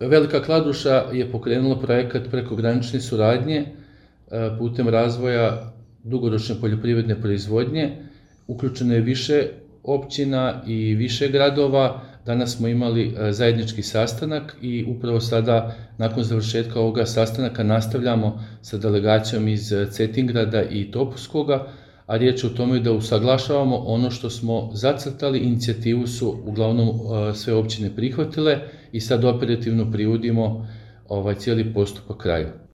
Velika Kladuša je pokrenula projekat prekogranične suradnje putem razvoja dugoročne poljoprivredne proizvodnje. Uključeno je više općina i više gradova. Danas smo imali zajednički sastanak i upravo sada, nakon završetka ovoga sastanaka, nastavljamo sa delegacijom iz Cetingrada i Topuskoga, a riječ je o tome da usaglašavamo ono što smo zacrtali. Inicijativu su uglavnom sve općine prihvatile i sad operativno privodimo cijeli postupak kraju.